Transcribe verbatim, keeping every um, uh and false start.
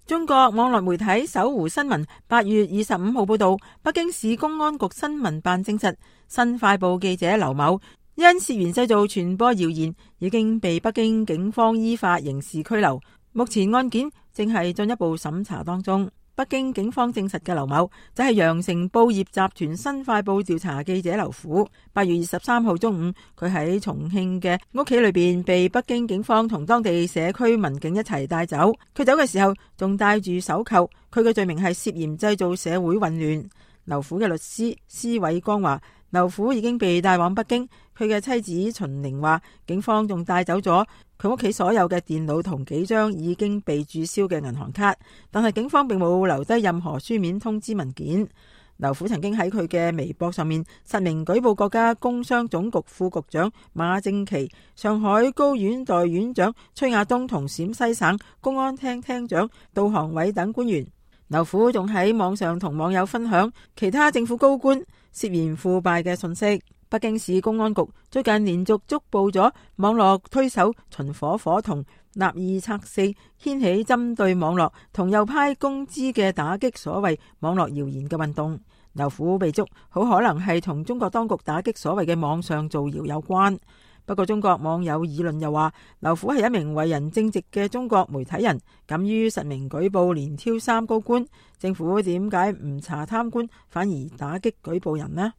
中國網絡媒體搜狐新聞八月二十五號報道，北京市公安局新聞辦證實，新快報記者劉某因涉嫌製造傳播謠言，已經被北京警方依法刑事拘留。目前案件正係進一步審查當中。北京警方證實嘅劉某就係羊城報業集團新快報調查記者劉虎。八月二十三號中午，佢喺重慶嘅屋企裏邊被北京警方同當地社區民警一齊帶走。佢走嘅時候仲戴住手銬。佢嘅罪名係涉嫌製造社會混亂。劉虎嘅律師施偉光話，劉虎已經被帶往北京。佢嘅妻子秦玲話，警方仲帶走咗佢屋企所有嘅電腦同幾張已經被註銷嘅銀行卡，但係警方並冇留低任何書面通知文件。劉虎曾經喺佢嘅微博上面實名舉報國家工商總局副局長馬正祺、上海高院代院長崔亞東同陝西省公安廳廳長杜航偉等官員。劉虎仲喺網上同網友分享其他政府高官涉嫌腐敗嘅信息。北京市公安局最近連續捉捕咗網絡推手秦火火同立二拆四，掀起針對網絡同右派公知嘅打擊所謂網絡謠言嘅運動。劉虎被捉，好可能係同中國當局打擊所謂嘅網上造謠有關。不過中國網友議論又話，劉虎係一名為人正直嘅中國媒體人，敢於實名舉報連挑三高官，政府點解唔查貪官，反而打擊舉報人呢？